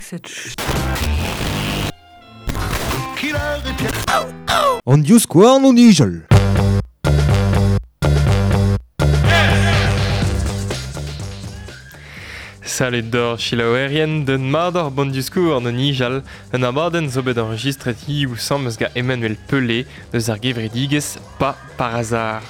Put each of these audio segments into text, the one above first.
cette An divskouarn o nijal. Salut d'or chilaouerien d'un mador bon discours an nijal un abadenn zo bet enregistret hiziv sammez ga Emmanuel Pelé deus ar gevredigezh Pa par hasard.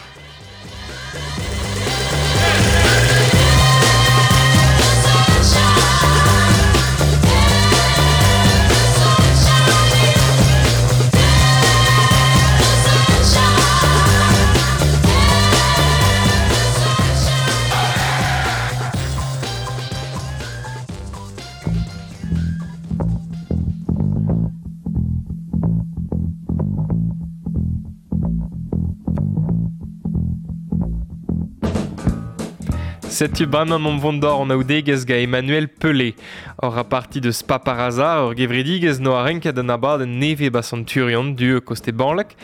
Setu bremañ omp vont d'or an aoudegezh ga Emmanuel Pelé. Ur a parti deus Pa par hasard ur gevredigezh no a renket an abadenn nevez ba Centurion du koste Banlek.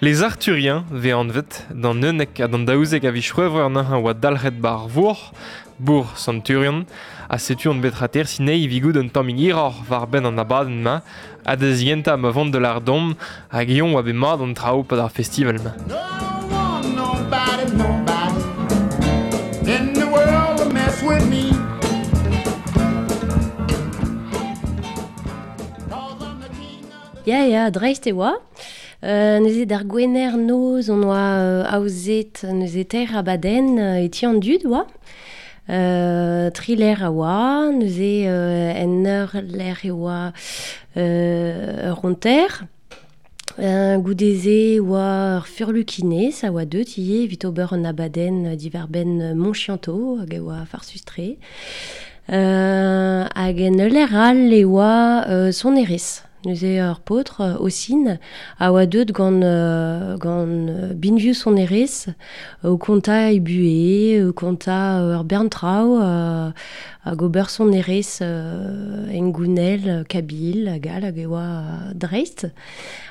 Les Arthuriens vez anvet d'an unnek ha d'an daouzek a viz c'hwevrer neuze oa dalc'het ba ar vourc'h, bourc'h Centurion, ha setu on bet rater sinei vigout un tammig hiroc'h war benn an abadenn-mañ, ha da zigentañ ma vont de l'Ardom, hag eon oa bet mat an traoù pad ar festival-mañ. No one, nobody, nobody in the world will mess with me. 'Cause I'm the king of Ya, ya, dreist e oa. Neuze d'ar gwener noz on oa aozet neuze teir abadenn e ti an dud oa. Tri lec'h a oa, neuze en ur lec'h e oa ur ronter. Goude-se oa ur furlukinez a oa deut ivez evit ober an abadenn diwar-benn Montchianto hag e oa farsus-tre. Hag en ul lec'h all e oa sonerezh. Neuze ur paotr Ossine a oa deut gant gant binvioù sonerezh o kontañ e buhez, o kontañ ur bern traoù hag ober sonerezh hengounel, kabil hag all hag e oa dreist.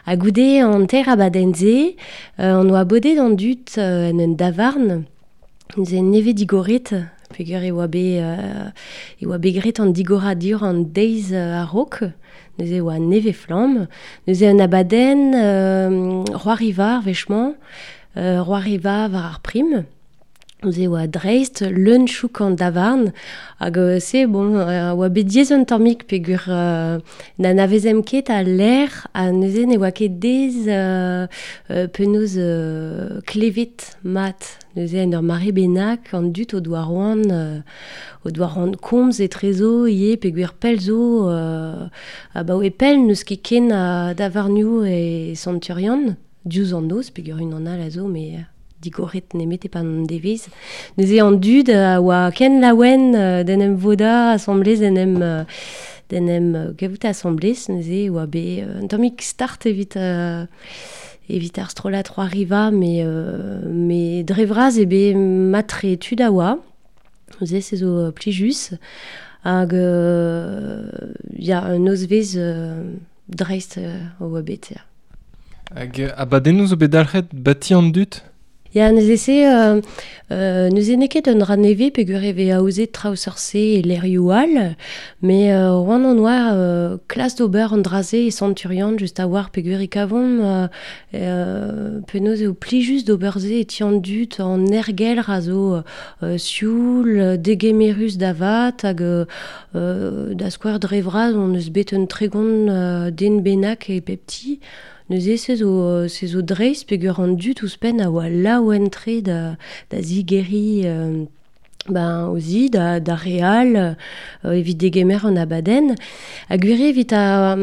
Ha goude an teir abadenn-se, on oa bodet an dud en un davarn, neuze nevez digoret, peogwir e oa bet e oa bet graet an digoradur an deiz a-raok, neuze e oa nevez flamm. Neuze un abadenn c'hoariva ar wech-mañ, c'hoariva war ar prim. Neuze e oa dreist leun chouk an davarn hag se bon oa bet diaes un tammig peogwir n'anavezemp ket al lec'h ha neuze ne oa ket dez penaos klevet mat. Neuze en ur mare bennak an dud o doa c'hoant o doa c'hoant komz etrezo ivez peogwir pell zo abaoe pell n'eus ket ken a davarnioù e Centurion, diouzh an noz peogwir unan all a zo met digoret nemet e-pad an devezh. Neuze an dud a oa ken laouen d'en em vodañ asambles, d'en em d'en em gavout asambles, neuze e oa bet un tammig start evit evit ar strollad c'hoariva, met met dre vras eo bet mat-tre tud a oa. Neuze se zo plijus. Hag ya, un nozvezh dreist o oa bet, ya. Hag abadennoù zo bet dalc'het bati an dud? Ya, neuze se, neuze n'eo ket un dra nevez peogwir e vez aozet traoù seurt-se e lec'hioù all, met c'hoant on oa klas d'ober an dra-se e Centurion just a-walc'h peogwir e kavomp penaos eo plijus d'ober se e ti an dud an aergelc'h a zo sioul, degemerus da vat hag da skouer dre vras on eus bet un tregont den bennak e pep ti. Neuze se zo, se zo dreist peogwir an dud ouzhpenn a oa laouen-tre da, da zigeriñ ben, o zi, da, da re all evit degemer an abadenn. Ha gwir eo evit ar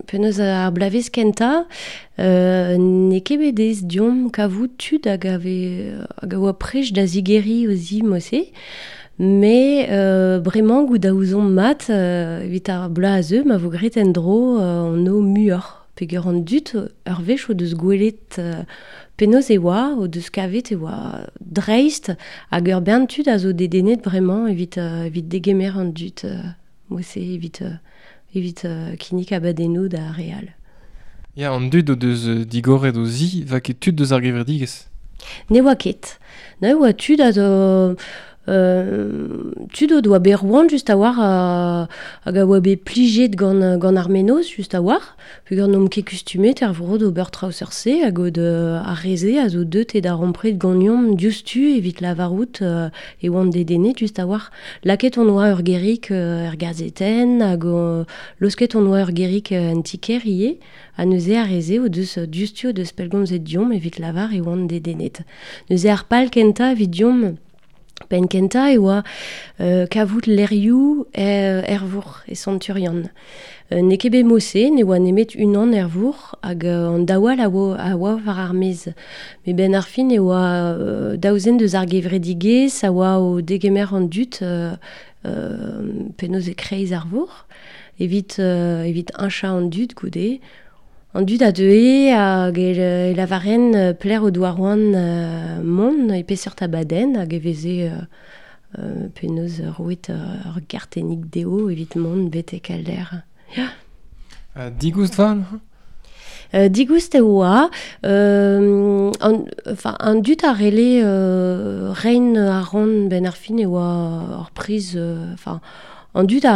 penaos ar bloavezh kentañ, n'eo ket bet aes deomp kavout tud hag a vez, hag a oa prest da zigeriñ o zi mod-se. Met bremañ goût a ouzomp mat evit ar bloaz a zeu ma vo graet en-dro an o muioc'h. Peogwir an dud ur wech o deus gwelet penaos e oa, o deus kavet e oa dreist hag ur bern tud a zo dedennet bremañ evit evit degemer an dud mod-se evit evit kinnig abadennoù da re all. Ya, an dud o deus digoret o zi, va ket tud deus ar gevredigezh? Ne oa ket. Ne oa tud a zo Tud o doa bet roan just a war hag a oa bet plijet gant ar menoz just a war peogwir n'omp ket kustumet er vro d'ober traoù seurt-se hag o ar re-se a zo deut e darempred ganeomp diouzhtu evit lavarout e oant dedennet just a war. Lakaet hon oa ur gerig er gazetenn hag laosket hon oa ur gerig en ti-kêr ivez ha neuze ar re-se o deus diouzhtu o deus pellgomzet deomp evit lavar e oant dedennet. Neuze ar pal kentañ evit deomp penn kentañ e oa kavout lec'hioù er vourc'h e Sant-Turian. N'eo ket bet mod-se, ne oa nemet unan er vourc'h hag an daou all a oa war ar maez. Met benn ar fin e oa daou zen deus ar gevredigezh a oa o degemer an dud penaos e-kreiz ar vourc'h evit heñchañ an dud goude. An dud a deue hag e lavaren pelec'h o doa c'hoant mont e peseurt abadenn hag e veze penaos roet ur gartennig dezho evit mont betek al lec'h. Ya. Digoust 'va neuze ? Digoust e oa. An dud a rele reiñ ar ran benn ar fin e oa ur priz... an dud a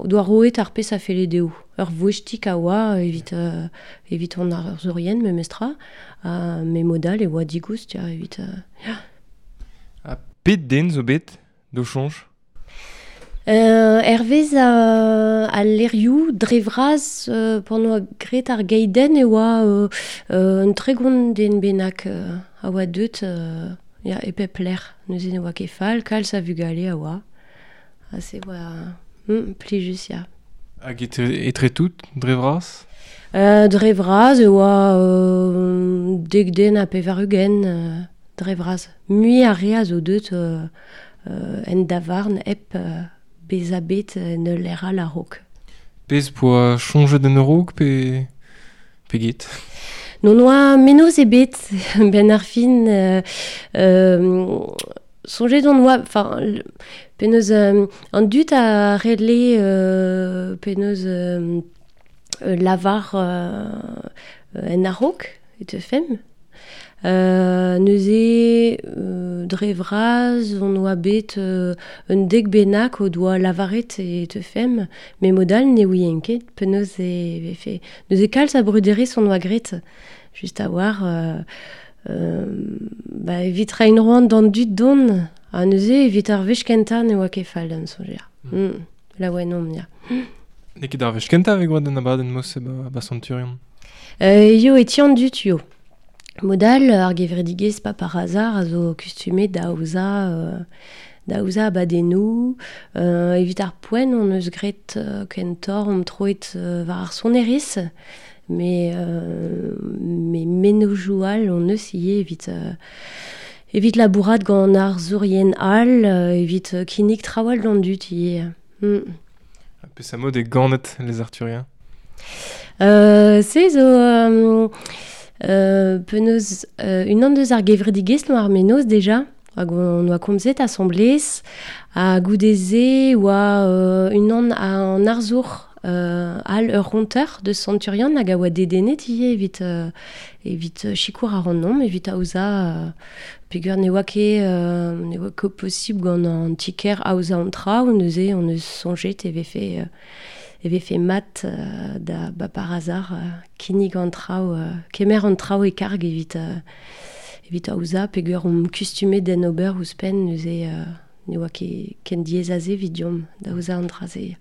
doa roet ar pezh a felle dezho. Ur voestig a oa evit an arzourien memestra. Met mod all e oa digoust ya, evit... ya. Ha pet den zo bet d'o soñj ? Hervez al lec'hioù dre vras pan oa graet ar geidenn e oa un 30 den bennak a oa deut ya, e pep lec'h. Neuze ne oa ket fall, kalz a vugale a oa. Ha se oa plijus, ya. Hag etre tout, dre vras ? Dre vras e oa 10 den ha 80 dre vras. Mui ar re a zo deut en davarn hep bezañ bet en ul lec'h all a-raok. Pezh poa soñjet en a-raok pe get ? Non oa menoz ebet benn ar fin. Soñjet on oa, enfin, penaos an dud a rele penaos lavar en a-raok e teufemp. Neuze dre vras on oa bet un dek bennak o doa lavaret e teufemp, met mod all ne ouien ket penaos e vefe. Neuze kalz a bruderezh on oa graet, just a war evit reiñ roan d'an dud don, ha neuze evit ar wech kentañ ne oa ket fall d'am soñj. Laouen omp, ya. N'eo ket ar wech kentañ e oa d'an abadenn mod-se ba Sant-Turian ? Yo e ti an dud, yo. Mod all, ar gevredigezh pas par hasard a zo kustumet da aozañ abadennoù. Evit ar poent on eus graet kentoc'h omp troet war ar sonerezh, mais mennozhioù all on eus ivez evit labourat gant arzourien all, evit kinnig traoù all d'an dud ivez. Peseurt mod e ganet les Arthuriens ? Se zo... penaos unan deus ar gevredigezh no ar menoz deja hag on oa komzet asamblez ha goude-se oa unan an arzour all ur ronteur deus Sant-Turian hag a oa dedennet ivez evit sikour ar an evit aozañ peogwir ne oa ket posibl gant an ti-kêr aozañ an traoù neuze on eus soñjet e vefe mat da ba par hasard kinnig an traoù, kemer an traoù e karg evit aozañ peogwir omp kustumet d'en ober ouzhpenn neuze ne oa ket ken diaes aze evit deomp da aozañ an dra-se.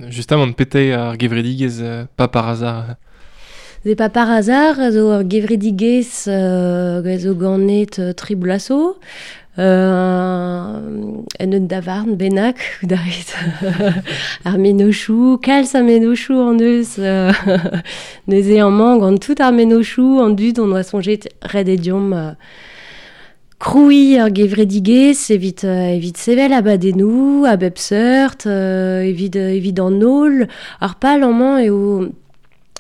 Justement pete ar gevredigezh pas par hasard. C'est pas par hasard zo ar gevredigezh zo ganet tri bloaz zo. En un davarn bennak daret ar menochoù, kalz a menochoù an eus neuze amañ gant tout ar menochoù an dud on oa soñjet ret e deomp krouiñ ar gevredigezh evit sevel abadennoù a bep seurt evit an holl ar pal amañ eo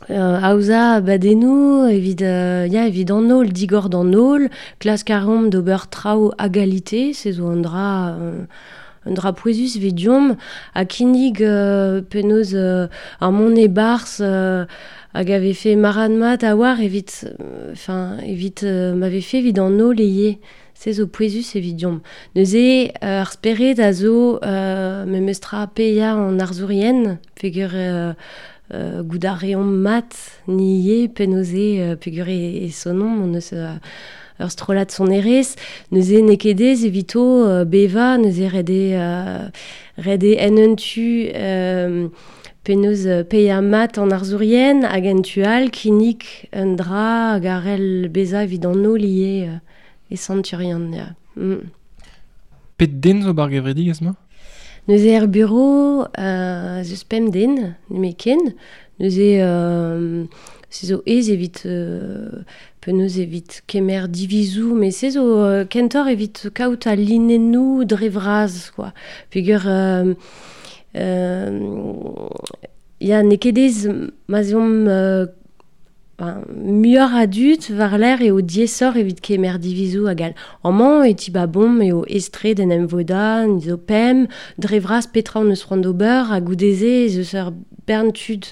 aozañ abadennoù evit evit an holl, digor d'an holl, klask a reomp d'ober traoù a galite, se zo un dra pouezus evit deomp, ha kinnig penaos ar mont e-barzh hag a vefe marad mat a war evit, enfin, evit ma vefe evit an o leie. Se zo pouezus evit diomp. Neuze, ar spered a zo memestra peia an arzourien, peogwir gout a reomp mat ni ivez penaos peogwir e sonomp, on eus ur strollad sonerezh, neuze n'eo ket aes evito beva, neuze ret eo en un tu penaos peia mat an arzourien hag en tu all kinnig un dra hag a c'hell bezañ evit an holl ivez e Santurian, ya. Pet den zo bar gevredigezh ma? Neuze er bureau ez eus pemp den, nemetken. Neuze se zo aes evit penaos evit kemer divizoù, met se zo kentoc'h evit kaout al linennoù dre vras, quoi. Peogwir ya, n'eo ket aes ma'z eomp muioc'h a dud war-lerc'h eo diaesoc'h evit kemer divizoù hag all. Amañ e tibabomp eo aes-tre d'en em vodañ, ni zo pemp, dre vras petra hon eus c'hoant d'ober, ha goude-se ez eus ur bern tud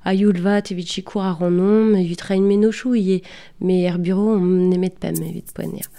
a-youl vat evit sikour ac'hanomp, evit reiñ mennozhioù ivez, met er bureau omp nemet pemp evit poent, ya.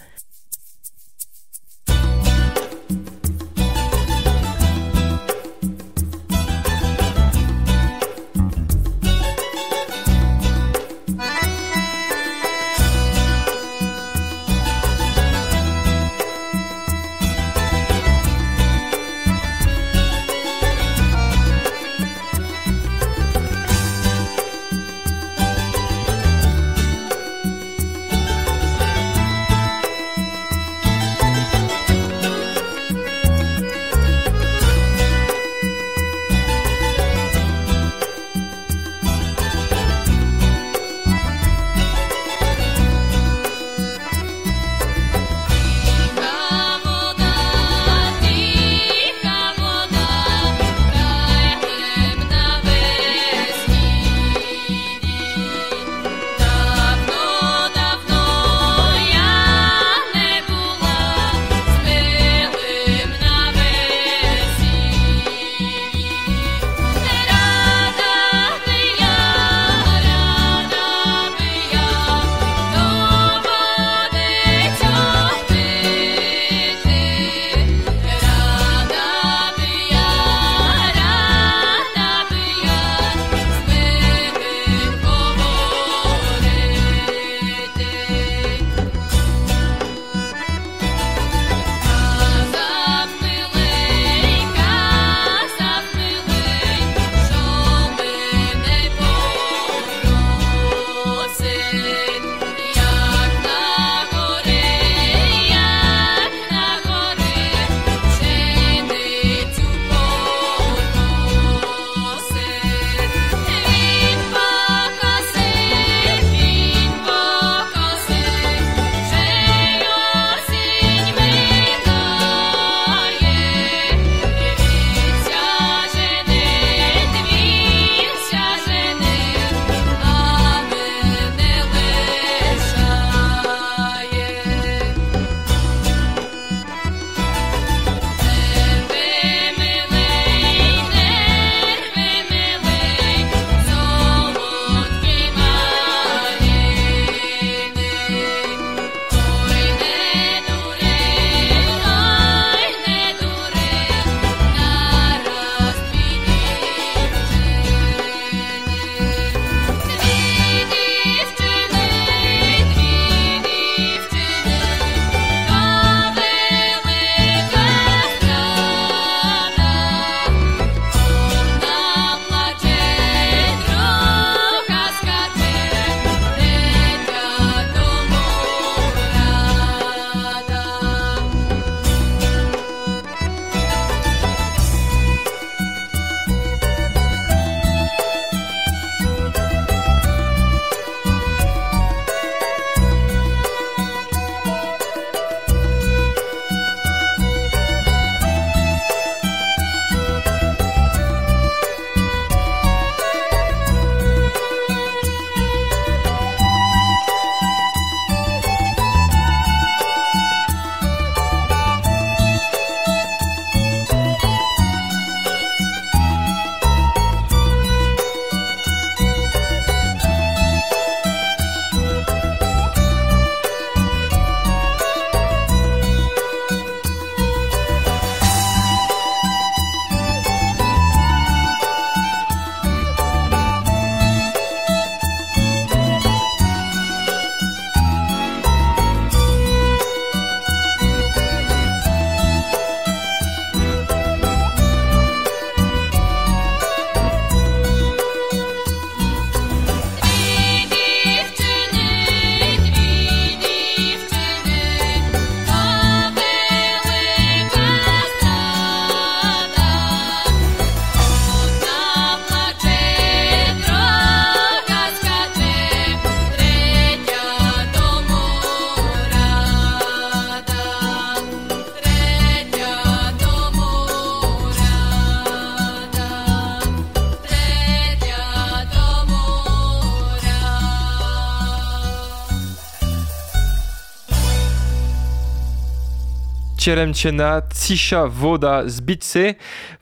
Tcheremchena, Tsisha Voda Zbitse,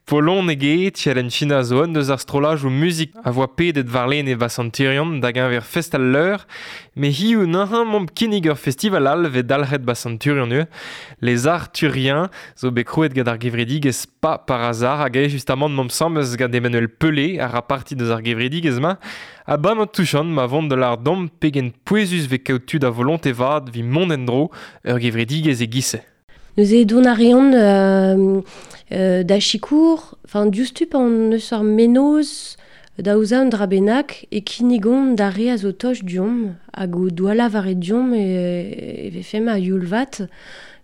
Polonege, Tcheremchina zo un deus ar strolaj ou muzik a voa pedet varlene va santirion da genver fest al leur, me hiu nahan momp kinnig ur festival al ve dalc'het ba santurion eo. Les Arthuriens zo bet krouet gant ar gevredigez pa par hasard hag eo justamant momp samez gant Emmanuel Pelé a ra parti deus ar gevredigez ma, a ban an touchant ma vont de l'ar dom pegen pouezus ve kaout tud a volonté vad vi mont en dro ur gevredigez e gisse. Neuze don a reont da chikour, enfin diouzhtu an eus ar menoz da ouza un dra bennak e kinnigon da re a zo toch diomp hag o doala war e diomp e vefem a youlvat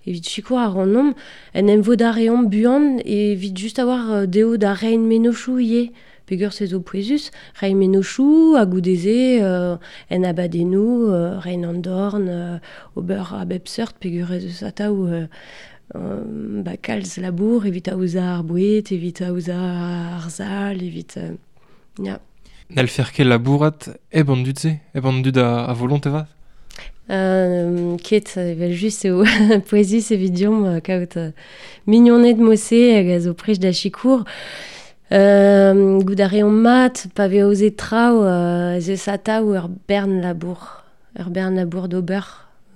evit chikour ar an en em vo da reont buan evit just avoir deo da rein menochou ivez. Pegur se zo pouezus, rein menochou, hag goudeze en abadennou, rein an dorn, ober a bep seurt, pegur ez eus atav ba kalz labour, evit aoza ar bouet, evit aoza ar zal, evit... ya. N'hell fer ket labourat eb an dud se, eb an dud a volonté vat? Ket, evel just eo pouezus evit diomp kaout mignoned mose hag a zo prech da chikour. Gout a reont mat, pa ve aozet traoù, ez eus atav ur bern labour. Ur bern labour d'ober.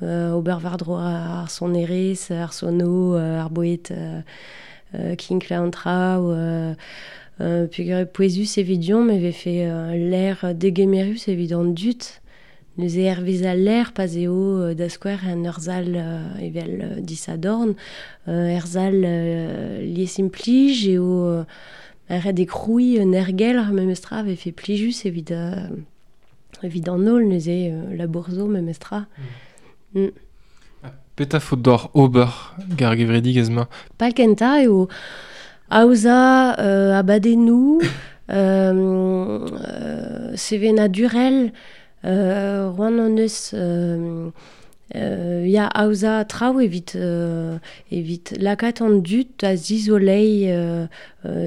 Ober war-dro ar sonerez, ar sono, ar bouet kinkla an traoù, peogwir pouezus evit diomp, e vefe l'air degemerus evit an dud. Neuze hervez al l'air, pa eo da skouer en ur zal evel disadorn, er zal liesimplij eo ret e kroui un ergel ar memestra vefe plijus evit an holl neuze labour zo memestra. Petra faot d'or ober gar gevredigez ma? Pal kenta eo aoza abadennou, sevenadurel, roan an eus ya aoza traoù evit lakaat an dud da zizolei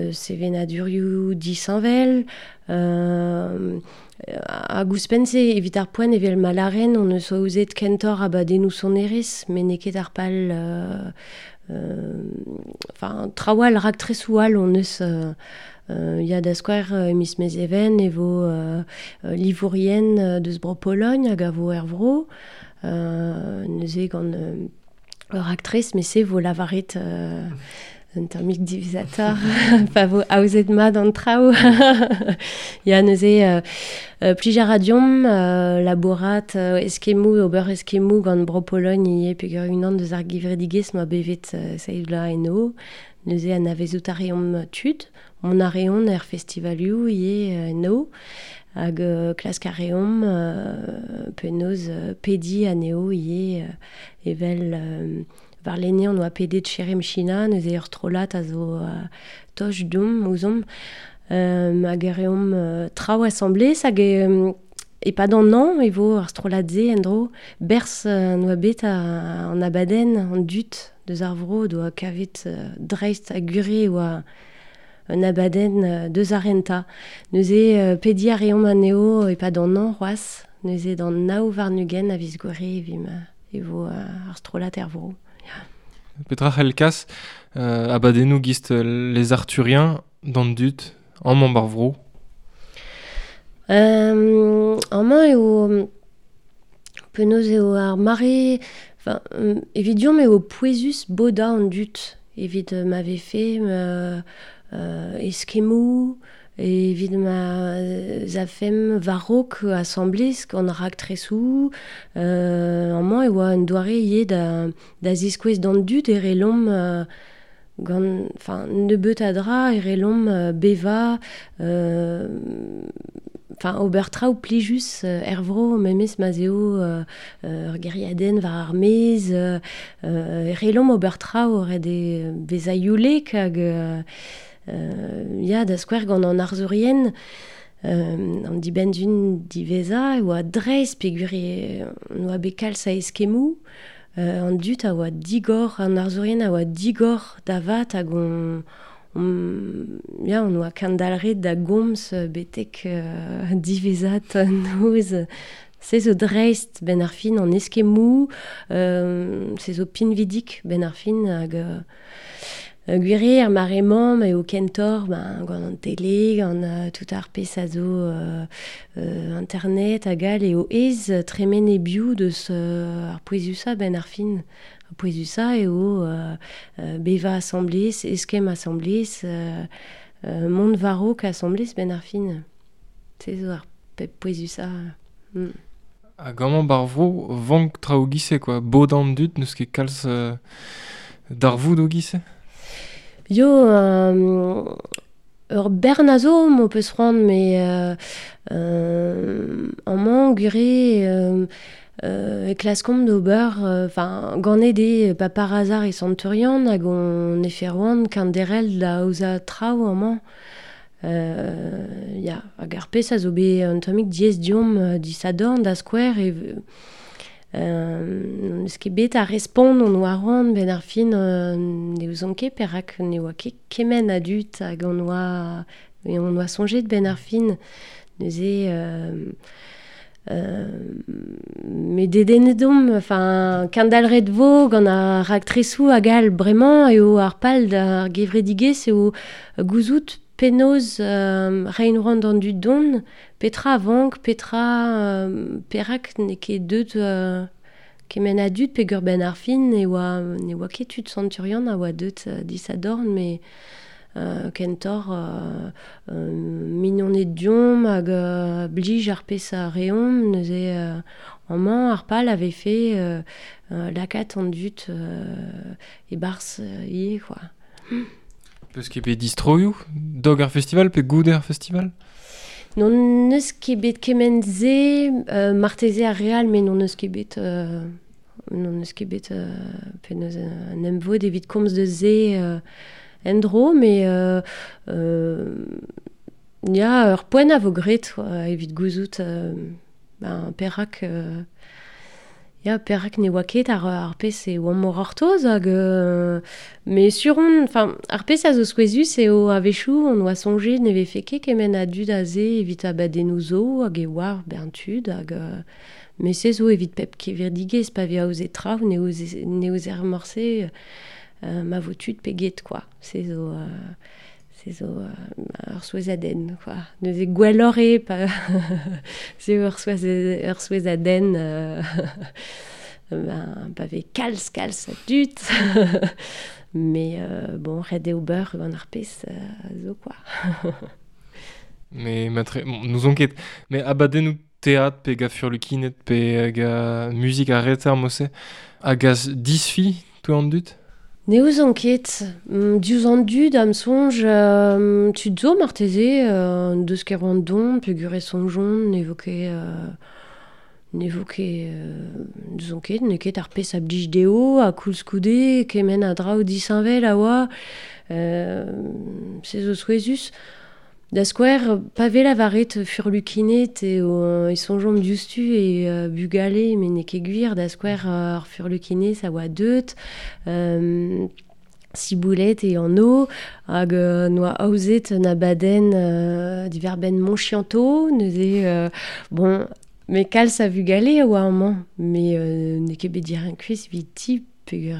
sevenadurioù disheñvel, hag ouzhpenn-se evit ar poent evel malaren on eus aozet kentoc'h abadennoù sonerezh, met n'eo ket ar pal enfin traoù all raktresoù all on eus ya da skouer miz Mezheven e vo livourien deus bro Pologne hag a vo er vro, neuze gant ur aktrez, met se vo lavaret un tammig divizator, pa vo aozet mat an traoù. Ya neuze plij a ra diomp labourat eskemmoù, ober eskemmoù gant bro Pologne ivez peogwir unan deus ar gevredigezh ma bevet seiz vloaz eno. Neuze anavezout a reomp tud, mont a reont er festivalioù ivez eno, hag klask a reomp penaos pedi anezho ivez evel varlene on oa pedet Cheremchina, neuze ur strollad a zo toch diomp ouzomp, hag a reomp traoù asambles hag e-pad an an e vo ar strollad-se en-dro berz noa bet an abadenn an dud deus ar vro doa kavet dreist ha gure oa un abadenn deus ar renta. Neuze pedi a reomp anezho e-pad an an c'hoazh, neuze d'an nav warn-ugent a viz Gouere evit e vo ar strollad er vro. Petra c'hell kas abadennoù gist les Arthuriens d'an dud amañ bar vro? Amañ eo penaos eo ar mare, enfin, evit diomp eo pouezus bodañ an dud evit ma vefe eskemmoù, evit ma zafem war-raok asambles gant ar raktresoù, amañ e oa un doare ivez da ziskouez d'an dud e relomp gant, enfin, nebeut a dra e relomp bevañ, enfin, ober traoù plijus er vro memes ma 'z eo ur gêriadenn war ar maez, relomp ober traoù ret eo bezañ youlek hag ya da skouer gant an arzourien an dibenn-dun diwezhañ e oa dreist peogwir oa bet kalz a eskemmoù, an dud a oa digor, an arzourien a oa digor da vat hag on ya, on oa kendalc'het da gomz betek diwezhat noz. Se zo dreist ben ar fin an eskemou, se zo pinvidik ben ar fin hag gwire ar mare-mañ eo kentor ben, gant an tele, gant tout ar pezh a zo internet hag all eo ez tremen e biou deus ar pouezusa ben ar fin. Ar pouezusa eo beva asamblez, eskem asamblez, mont varok asamblez ben ar fin. Se zo ar pouezusa. Ha gant bar vro, vank traoù gise, quoi. Bod an dud, n'eus ket kalz darvoud o gise? Yo, ur bern a zo, m'o peus c'hoant, mais amañ gure e klaskomp d'ober, enfin, ganet eo pa par hasard e Santurian hag on e ferroan kanderel da aoza traoù amañ. Ya, hag ar pezh a zo bet un tammig diaes diomp disadorn da skouer e n'eus ket bet a respont on oa c'hoant ben ar fin ne ouzon ket perak ne oa ket kement a dud hag on oa soñjet ben ar fin neuze met dedennet omp, enfin, kendalc'het vo gant ar raktresoù hag all bremañ eo ar pal d'ar gevredigezh eo gouzout penaos reiñ c'hoant d'an dud don, petra a vank, petra perak n'eo ket deut kement a dud peogwir ben ar fin ne oa ket tud Santurian a oa deut disadorn, mais kentor mignoned diomp hag blij ar pezh a reomp, neuze amañ ar pal avait fait lakaat an dud e-barzh ivez, quoi. Peus ket bet distroioù dog ar festival pe goude ar festival? Non neus ket bet kement-se, marteze ar real, mais non neus ket bet penaos un emvod evit komz deus se en-dro, mais ya, ur poent a vo graet evit gouzout ben, perak ya, perak ne oa ket ar pezh e oamp mor ortoz hag mais sur on, enfin, ar pezh a zo souezhus eo a-wechoù on oa soñjet ne vefe ket kement a dud aze evit abadennoù zo hag e oar bern tud hag mais se zo evit pep kevredigezh pa vez aozet traoù ne ouzer morse ma vo tud pe get, quoi. Se zo ur souezhadenn, quoi. Neuze gwelloc'h eo pa se ur souezhadenn ben, pa vez kalz a dud. Mais bon, ret eo ober gant ar pezh zo, quoi. Mais nous on ket. Mais abadennoù théâtre pe ga furlukinet pe ga muzik ar reter mose hag az disfi to an dud? Ne ouzon ket, diouzh an dud am soñj tud zo marteze deus ket roant don peogwir e soñjont ne vo ket n'ouzon ket, n'eo ket ar pezh a blij dezho ha koulskoude kement a draoù disheñvel a oa se zo souezhus. Da skouer, pa vez lavaret furlukinet eo e soñjomp diouzhtu e bugale, met n'eo ket gwir, da skouer ar furlukinez a oa deut, siboulet e an o, hag noa aozet un abadenn diverbenn Monchianto, neuze, bon, mais kalz a vugale a oa amañ, mais n'eo ket bet dir un kuez evit ti, peogwir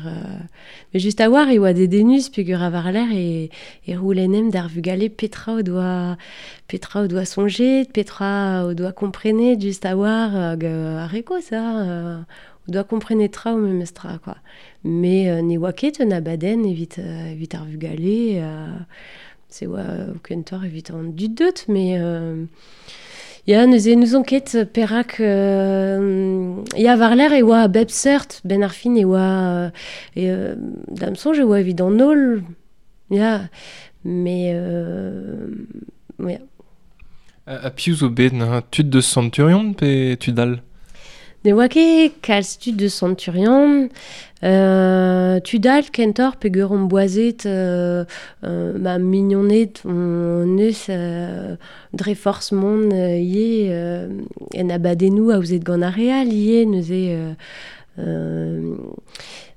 mais just a war e oa dedennus peogwir a war-lerc'h e roulennem d'ar vugale petra o doa soñjet, petra o doa komprenet just a war hag ar re kozh, o doa komprenet traoù memes tra, quoi. Mais ne oa ket un abadenn evit ar vugale, se oa kentoc'h evit an dud deut, mais ya, neuze n'ouzon ket perak ya, war-lerc'h e oa bep seurt, ben ar fin e oa da'm soñj e oa evit an holl, ya, mais ya. Ha piv zo bet na tud deus Santurian pe tud all? Ne oa ket kalz tud deus Santurian, tud all kentoc'h peogwir omp boazet ma mignoned on eus dre forzh mont ivez en abadennoù aozet gant ar re all ivez neuze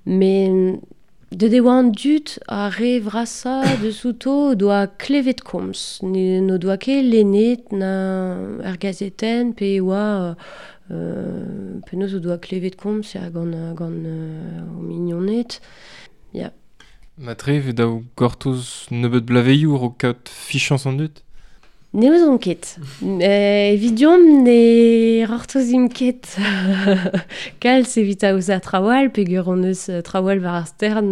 mais deut e oa an dud ar re vrasañ deus outo o doa klevet komz, n'o doa ket lennet na er gazetenn pe e oa Penaos o doa klevet komz ya, gant o mignoned. Ya. Matre ve daou gortoz nebeut blaveioù o kaout fichañs an dud? Ne ouzon ket. Evit deomp ne rortozimp ket. Kalz evit aozañ trawal, peogwir hon eus trawal war ar stern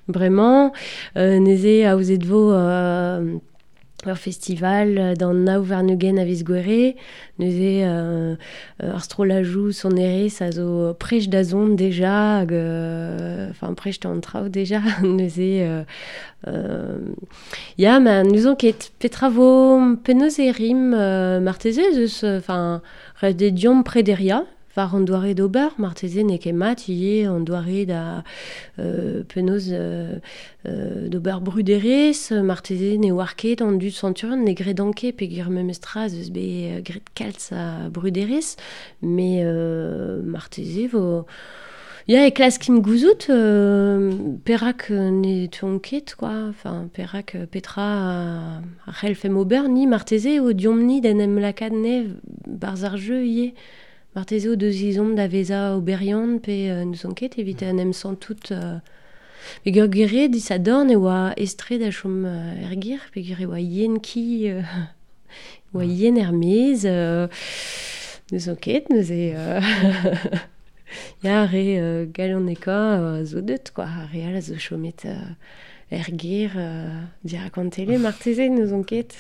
bremañ. Neuze aozet vo ur festival d'an nav warn-ugent a viz Gouere. Neuze ar strollajoù sonerezh a zo prest da zont deja, hag enfin prest an traoù deja. Neuze ya, ma n'ouzon ket petra vo penaos e rim marteze ez eus enfin ret eo deomp prederiañ war an doare d'ober, marteze n'eo ket mat ivez an doare da penaos d'ober bruderezh, marteze ne oar ket an dud Centurion, ne gredan ket peogwir memestra ez eus bet graet kalz a bruderezh, met marteze vo... Ya, e klaskimp gouzout perak ne teuont ket, quoi. Enfin, perak petra a c'hellfemp ober, ni marteze eo deomp-ni d'en em lakaat ne barzh ar jeu ivez. Marteze o deus izomp da vezañ oberiant pe n'ouzon ket evit en em santout peogwir gwir eo disadorn e oa estre da chom er gêr peogwir e oa yen ki oa yen er-maez n'ouzon ket neuze ya re galonekañ zo deut quoi ar re all a zo chomet er gêr dirak an tele marteze n'ouzon ket.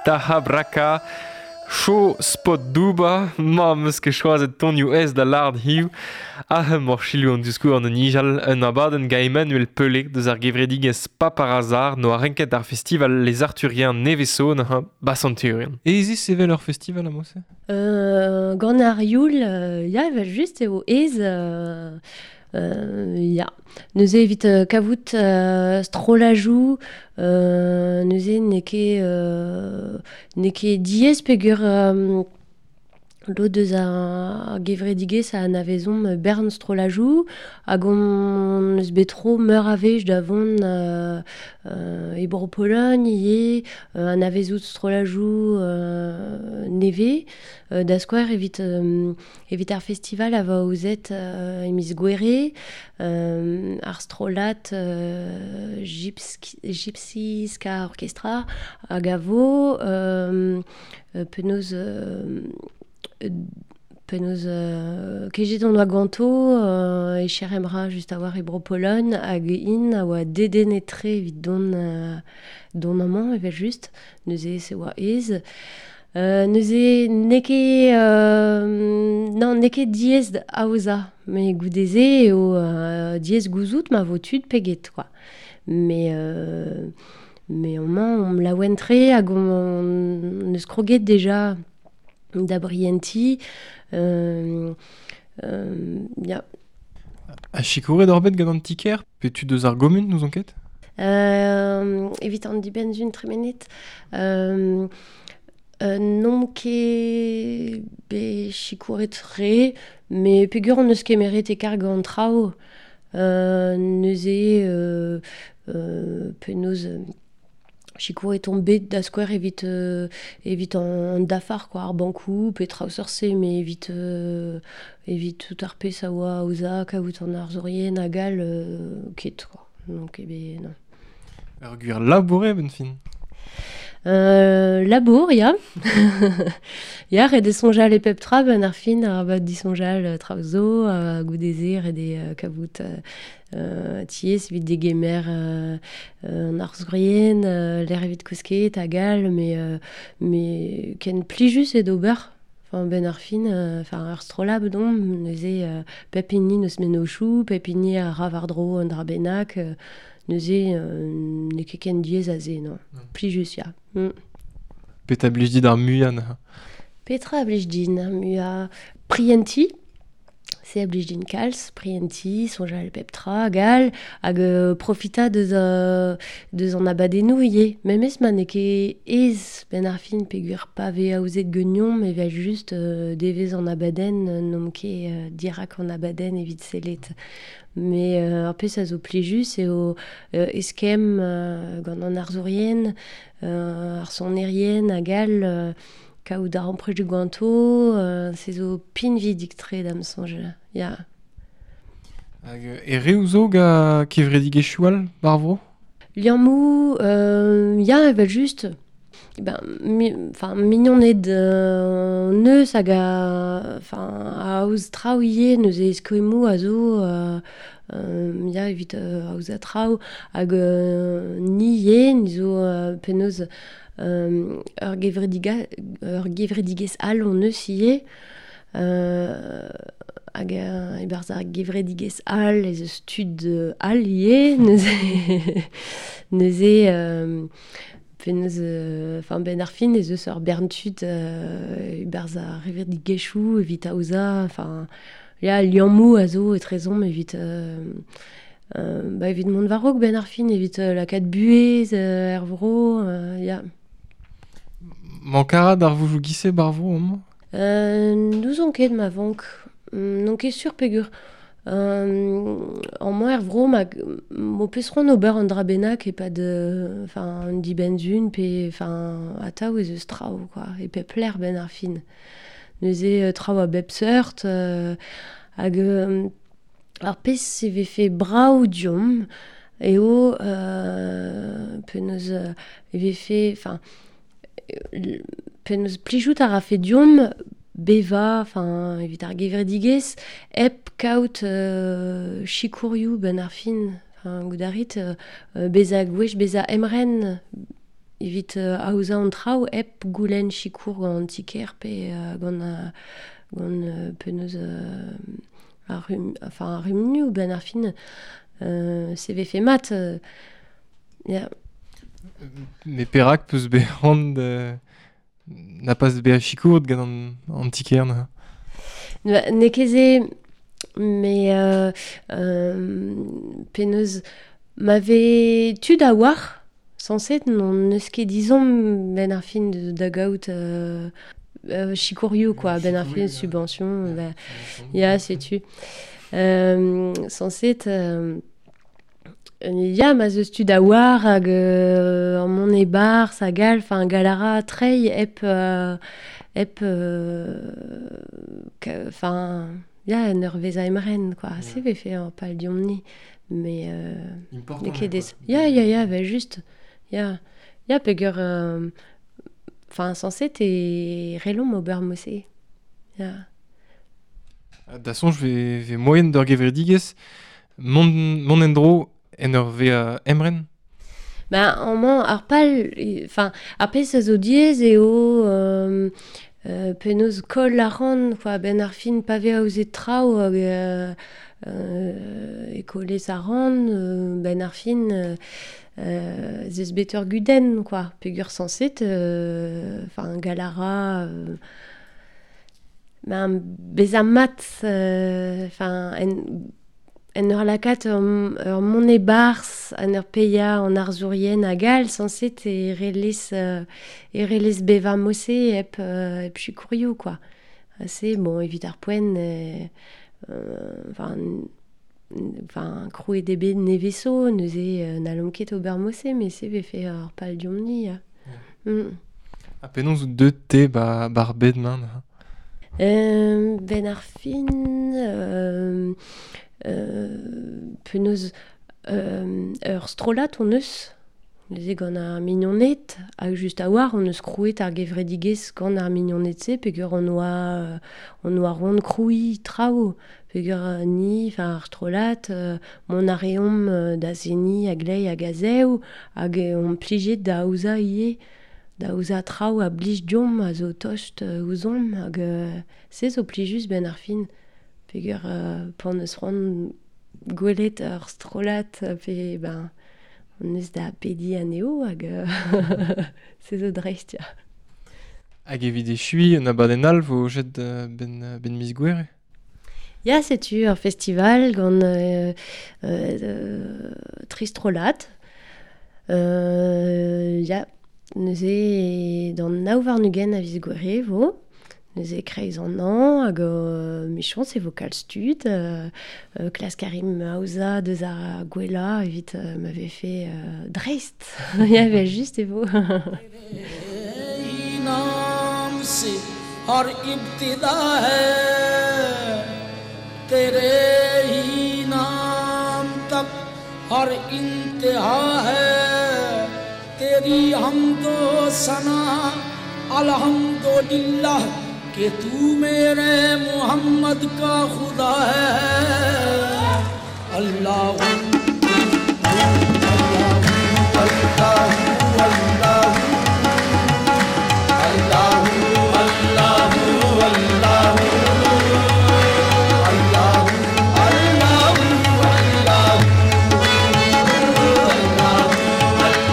Taha Braka, Cho spot douba, ma meus ket choazet tonioù ez da lard hiu, ah mor chilou an diskour an nijal, un abadenn ga Emmanuel Pelé deus ar gevredigez Paparazar no a renket ar festival Les Arthuriens neveso na Basanturian. E ez evel ur festival a mose? Gant ar youl, ya, evel just eo ez... ya. Neuze evit kavout strolajou, neuze n'eo ket diaes peogwir lod deus ar gevredigezh a anavezomp bern strolajou, hag on eus bet tro meur a wech da vont e Bro-Pologne ivez, anavezout strolajou nevez, da skouer evit ar festival a vo aozet e miz Gouere, ar strollad Gypsy Ska Orchestra hag a vo penaos kejet on oa ganto e cher emra just a war e Bro-Pologne hag in a oa dedennet-tre evit don amañ evel just, neuze se oa aes. Neuze n'eo ket non, n'eo ket diaes aozañ, met goude-se eo diaes gouzout ma vo tud pe get, quoi. Mais amañ on laouen-tre hag on eus kroget deja da brienti, ya. A sikouret ur bet gant an tiker, pe tu deus ar gomun nous enquête? Evit an dibenn-zun tremenet, non ket bet sikouret re, met peogwir on eus kemeret e karg an traoù, neuze penaos sikouret on bet da skouer evit an dafar, quoi, ar bankoù, pe traoù seurt-se, mais evit tout ar pezh a oa aozañ, kaout an arzourien hag all, ket, quoi. Donc, eh ben, non. Ur gwir labour eo, ben fin. Labour, ya. Ya, ret eo soñjal e pep tra, ben ar fin, arabat disoñjal traoù zo, goude-se, ret eo kavout tiez evit degemer an arzourien, l'air evit kousket hag all, mais ken plijus eo d'ober. Enfin, ben ar fin, enfin, ar strollad domp, neuze pep hini neus mennozhioù, pep hini a ra war-dro an dra bennak, neuze n'eo ket ken diaes aze, non. Plijus, ya. Petra blij dit ar muiañ neuze? Petra blij din ar muiañ? Prienti. Se a blij din kalz, prienti, soñjal pep tra hag all, hag profita deus an abadennoù ivez. Memes ma n'eo ket aes benn ar fin peogwir pa vez aozet ganeomp evel just devezh an abadenn, n'omp ket dirak an abadenn evit sellet. Mais ar pezh a zo plijus eo eskemm gant an arzourien, ar sonerien hag all, kaout ar amprejoù ganto, se zo pinvidik-tre da'm soñj, ya. Hag e reoù zo ga kevredigezhioù all war vro? Liammoù, ya, evel just. Ben, mignoned neus hag a, enfin, aoz traoù ivez, neuze skoemmoù a zo, ya, evit aozañ traoù, hag ni ivez, ni zo penaos ur gevredigezh all on eus ivez, hag e-barzh ar gevredigezh all ez eus tud all ivez, neuze penaos, enfin, ben ar fin ez eus ur bern tud e-barzh ar gevredigezhioù evit aozañ, enfin, ya, liammoù a zo etrezomp evit evit mont war-raok ben ar fin, evit lakaat buhez er vro, ya. Mank a ra d'ar voujoù gise bar vro amañ? N'ouzon ket ma vank. N'on ket sur peogwir amañ er vro ma m'ho peus c'hoant ober an dra bennak e-pad enfin, un dibenn-zun pe enfin, atav ez eus traoù, quoi, e pep lec'h ben ar fin. Neuze traoù a bep seurt, hag ar pezh e vefe brav diomp eo penaos e vefe, enfin, penaos plijout a rafe diomp bevañ, enfin, evit ar gevredigezh, hep kaout sikourioù ben ar fin, enfin, goudarit, bezañ gwech, bezañ emren evit aozañ an traoù hep goulenn sikour gant an ti-kêr pe gant gant penaos ar enfin ar c'humunioù ben ar fin se vefe mat ya. Mais perak peus bet c'hoant na pas bezañ sikour gant an ti-kêr neuze? N'eo ket se, mais penaos ma vez tud a-walc'h sañset n'on eus ket dizomp ben ar fin da gaout sikourioù quoi, ben ar fin subvention, ben, ya, setu. Sañset ya, ma zeus tud a-walc'h hag an mont e-barzh hag all, enfin galara treiñ hep hep enfin ya, en ur vezañ emren quoi, se vefe ur pal deomp-ni. Mais Important, ket des... Ya, ya, ya, ben juste. Ya, ya peger enfin sañset e relomp ober mod-se. Ya. Da soñj ve moaien d'ur gevredigezh mont en-dro en ur vezañ emren? Ben, amañ ar pal, enfin, ar pezh a zo diaes eo penaos koll a ran, quoi, ben ar fin pa vez aozet traoù hag e kollez a ran, ben ar fin ez eus bet ur gudenn, quoi, peogwir sañset, enfin, galara ben, bezañ mat, enfin, en ur lakaat ur mont e-barzh, en ur paeañ an arzourien hag all, sañset e relez bevañ mod-se hep hep sikourioù, quoi. Se, bon, evit ar poent, enfin, enfin, krouet eo bet nevez-zo, neuze n'hallomp ket ober mod-se, mais se vefe ur pal deomp-ni. Yeah. Ha penaos out deuet te bar bed-mañ neuze? Ben ar fin, penaos ur strollad hon eus, neuze gant ar mignoned, hag just a-walc'h hon eus krouet ar gevredigezh gant ar mignoned-se, peogwir hon oa c'hoant krouiñ traoù, peogwir ni, enfin ar strollad, mont a reomp da seniñ a-gleiz hag a-zev, hag omp plijet da aozañ ivez, da aozañ traoù a blij deomp, a zo tost ouzhomp, hag se zo plijus ben ar fin. Peogwir pan eus c'hoant gwelet ur strollad pe ben on eus da pediñ anezho hag se zo dreist, ya. Hag evit echuiñ un abadenn all vo jet ben miz Gouere? Ya, setu ur festival gant tri strollad. Ya, neuze d'an nav warn-ugent a viz Gouere vo. Neuze kreiz an hañv hag mechañs e vo kalz tud, klask a rimp aozañ deus ar gwellañ evit ma vefe dreist. Ya, evel just e vo. ہر ابتدا ہے تیرے ہی نام تک ہر انتہا ہے تیری حمد و ثنا الحمدللہ کہ تو میرے محمد کا خدا ہے اللہ اللہ اللہ اللہ اللہ اللہ اللہ اللہ اللہ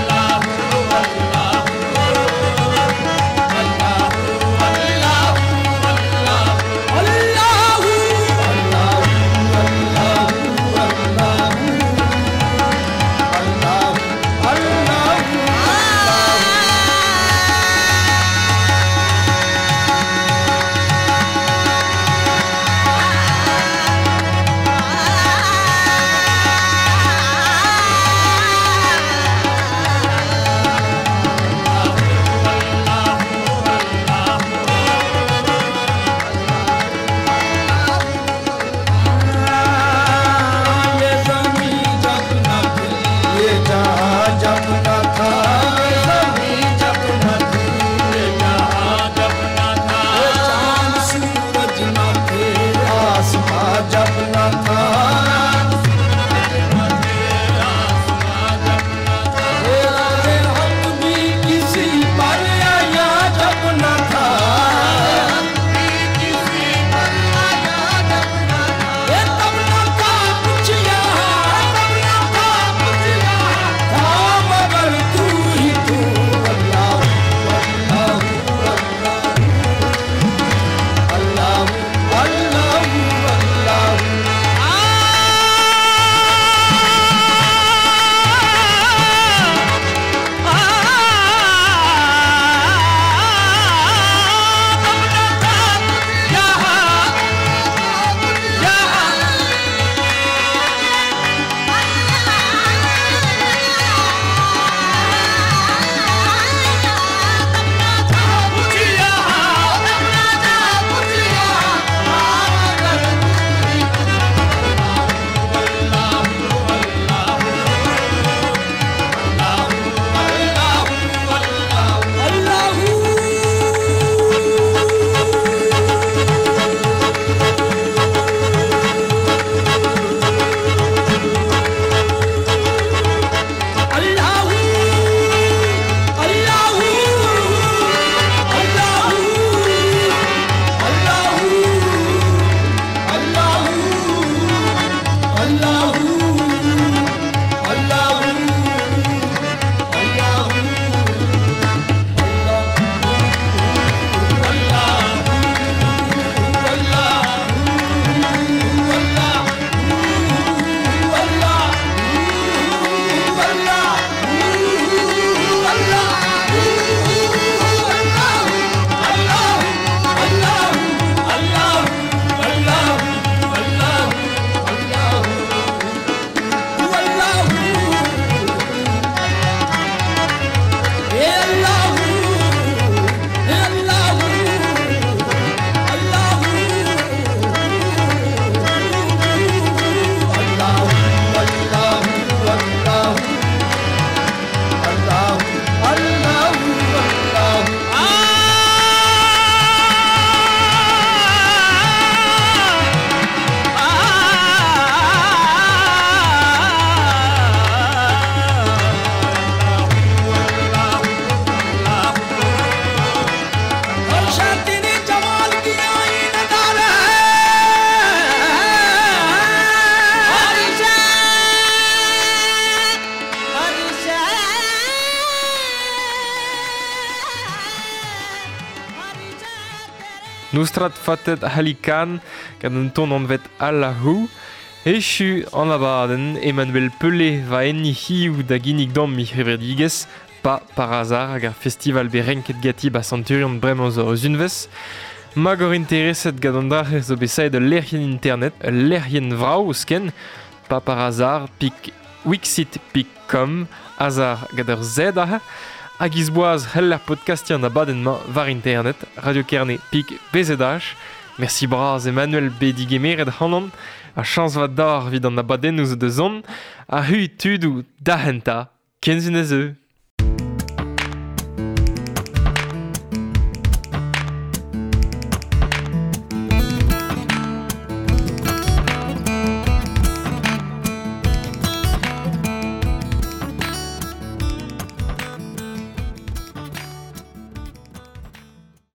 اللہ اللہ اللہ. Noustrat fatet halikan gant un ton anvet Allahu. Echu an abadenn Emmanuel Pelé va enni hiu da ginnig dam mi c'hevredigezh, pa par hasard hag ar festival be renket gati ba Centurion bremañ zo eus unvez. Mag ur intereset gant an drac'h zo bet saet ul lec'hienn internet, ul lec'hienn vrav ouzhken, pa par hasard pik wixit.com, hasard gant ur Z aze, hag izboaz c'hell ar podcastiñ an abadenn-mañ war internet, Radio Kerne pik BZH. Merci bras Emmanuel bet digemeret c'hanon, a chañs vat d'ar evit an abadennoù zo da zont, ha hu tudoù da henta, kenzun ez eu.